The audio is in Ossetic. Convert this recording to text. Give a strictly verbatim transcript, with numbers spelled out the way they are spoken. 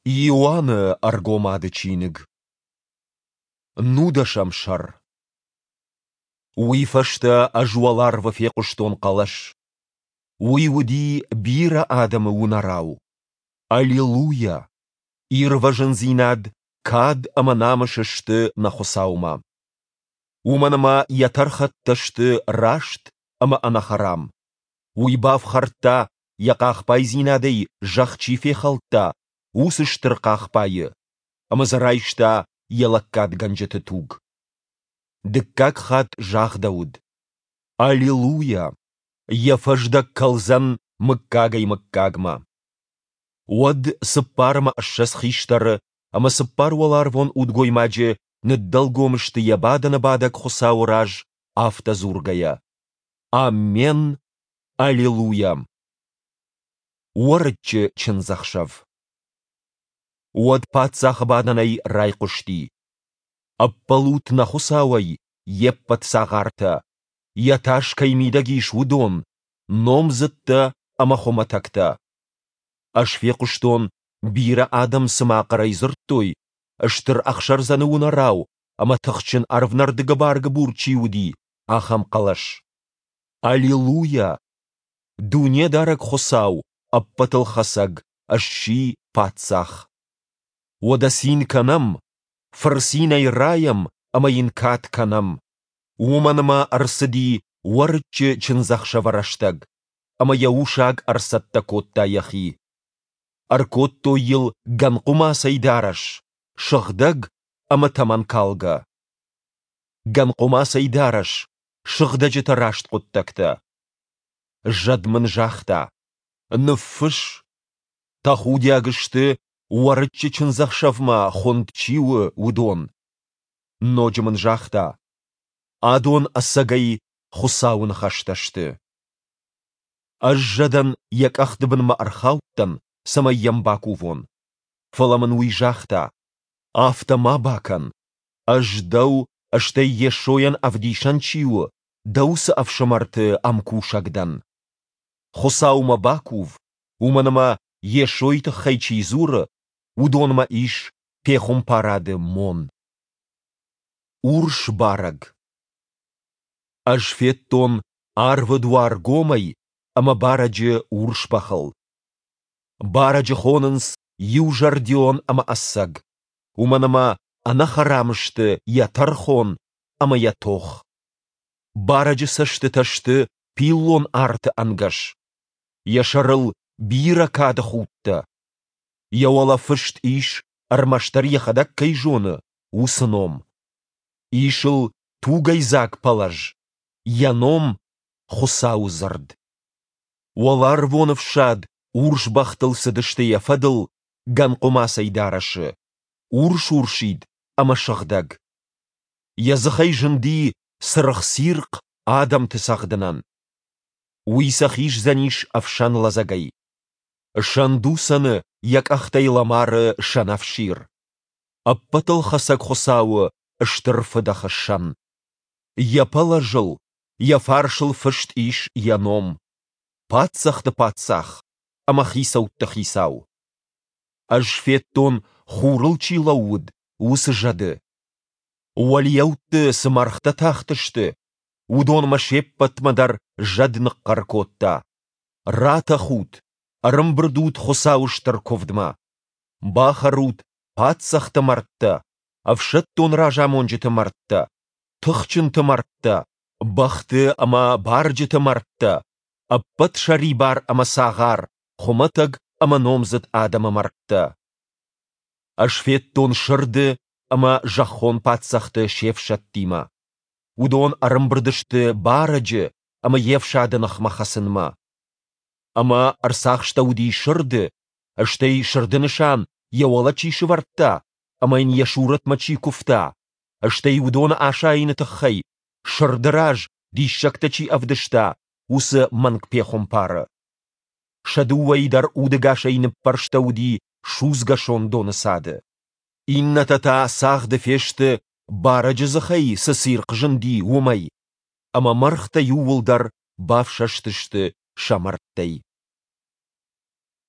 Иоанны Ӕргомады чиныг. Нудӕсӕм сӕр. Уый фӕстӕ ӕз уӕларвы фехъуыстон хъӕлӕс. Уый уыди бирӕ адӕмы уынӕрау: Аллилуйа! Ирвӕзындзинад, кад ӕмӕ намыс сты нӕ Хуыцаумӕ. Уымӕн ӕмӕ йӕ тӕрхӕттӕ сты раст ӕмӕ ӕнӕхӕрам. Уый бафхӕрдта, йӕ хъахбайдзинадӕй зӕхх чи фехӕлдта, уыцы стыр хъахбайы, ӕмӕ дзы райста йӕ лӕггадгӕнджыты туг. Дыккаг хатт загъдӕуыд: Аллилуйа! Йӕ фӕздӕг кӕлдзӕн мыггагӕй-мыггагмӕ. Уӕд цыппар ӕмӕ ссӕдз хистӕры ӕмӕ цыппар уӕларвон удгоймаджы ныддӕлгом сты йӕ бадӕны бадӕг Хуыцауы раз, афтӕ дзургӕйӕ: Аммен! Аллилуйа! Уӕрыччы чындзӕхсӕв. Уӕд паддзахы бадӕнӕй райхъуысти: Ӕппӕлут нӕ Хуыцауӕй, йе ппӕт цагъартӕ, йӕ тас кӕй мидӕг ис, уыдон, номдзыдтӕ ӕмӕ хуымӕтӕгтӕ. Ӕз фехъуыстон, бирӕ адӕм цыма хъӕрӕй дзырдтой, стыр ӕхсӕрдзӕны уынӕрау ӕмӕ тыхджын ӕрвнӕрды гыбар-гыбур чи уыди, ахӕм хъӕлӕс. Аллилуйа! Дунедарӕг Хуыцау, Ӕппӕтылхӕцӕг, сси Паддзах! Уӕдӕ цин кӕнӕм, фырцинӕй райӕм ӕмӕ йын кад кӕнӕм. Уымӕн ӕмӕ ӕрцыди Уӕрыччы чындзӕхсӕвы рӕстӕг, ӕмӕ йӕ усаг ӕрцӕттӕ кодта йӕхи. Ӕркодтой йыл гӕнхъуымацӕй дарӕс, сыгъдӕг ӕмӕ тӕмӕнкалгӕ. Гӕнхъуымацӕй дарӕс, сыгъдӕджыты раст хъуыддӕгтӕ. Зӕд мын загъта: Ныффысс, тӕхудиаг сты, Уӕрыччы чындзӕхсӕвмӕ хуынд чи у, уыдон. Ноджы мын загъта: Адон ӕцӕгӕй Хуыцауы ныхӕстӕ сты. Ӕз зӕдӕн йӕ къӕхты бынмӕ ӕрхаудтӕн, цӕмӕй йӕм бакувон. Фӕлӕ мын уый загъта: Афтӕ ма бакӕн! Ӕз дӕу, стӕй Йесойӕн ӕвдисӕн чи у, дӕ уыцы ӕфсымӕрты ӕмкусӕг дӕн. Хуыцаумӕ бакув, уымӕн ӕмӕ Йесойы тыххӕй чи дзуры, уыдонмӕ ис пехуымпарады мон. Урс барӕг. Ӕз федтон арвы дуар гомӕй ӕмӕ барӕджы урс бӕхыл. Барӕджы хонынц иузӕрдион ӕмӕ ӕцӕг, уымӕн ӕмӕ ӕнӕхӕрам сты йӕ тӕрхон ӕмӕ йӕ тох. Барӕджы цӕстытӕ сты пиллон арты ӕнгӕс. Йӕ сӕрыл бирӕ кады худтӕ. Йӕ уӕлӕ фыст ис, ӕрмӕстдӕр йӕхӕдӕг кӕй зоны, уыцы ном. Ис ыл тугӕйдзаг пӕлӕз, йӕ ном — Хуыцауы дзырд. Уӕларвон ӕфсад урс бӕхтыл цыдысты йӕ фӕдыл гӕнхъуымацӕй дарӕсы, урс-урсид ӕмӕ сыгъдӕг. Йӕ дзыхӕй зынди цыргъ цирхъ адӕмты цӕгъдынӕн. Уый сӕ хиздзӕнис ӕфсӕн лӕдзӕгӕй. Сӕндуцӕны йӕ къӕхтӕй лӕмары сӕнӕфсир. Ӕппӕтылхӕцӕг Хуыцауы стыр фыдӕхы сӕн. Йӕ пӕлӕзыл, йӕ фарсыл фыст ис йӕ ном: Паддзӕхты Паддзах ӕмӕ хицӕутты Хицау. Ӕз федтон, хурыл чи лӕууыд, уыцы зӕды. Уӕлиӕутты цы мӕргътӕ тахтысты, уыдонмӕ се ппӕтмӕ дӕр зӕд ныхъхъӕр кодта: Ратӕхут, ӕрӕмбырд ут Хуыцауы стыр куывдмӕ! Бахӕрут паддзӕхты мӕрдтӕ, ӕфсӕддон разамонджыты мӕрдтӕ, тыхджынты мӕрдтӕ, бӕхты ӕмӕ барджыты мӕрдтӕ, ӕппӕт сӕрибар ӕмӕ цагъар, хуымӕтӕг ӕмӕ номдзыд адӕмы мӕрдтӕ. Ӕз федтон сырды ӕмӕ зӕххон паддзӕхты се фсӕдтимӕ. Уыдон ӕрӕмбырд сты барӕджы ӕмӕ йе фсады ныхмӕ хӕцынмӕ. Ӕмӕ ӕрцахстӕуыди сырды, стӕй сырды нысан йӕ уӕлӕ чи сӕвӕрдта ӕмӕ йын йӕ сурӕтмӕ чи куывта, стӕй уыдоны асайыны тыххӕй сырды раз диссӕгтӕ чи ӕвдыста, уыцы мӕнгпехуымпары. Сӕ дыууӕйы дӕр удӕгасӕй ныппӕрстӕуыди судзгӕ сондоны цады. Иннӕтӕ та цагъды фесты, барӕджы дзыхӕй цы цирхъ зынди, уымӕй, ӕмӕ мӕргътӕ иууылдӕр бафсӕстысты сӕ мӕрдтӕй.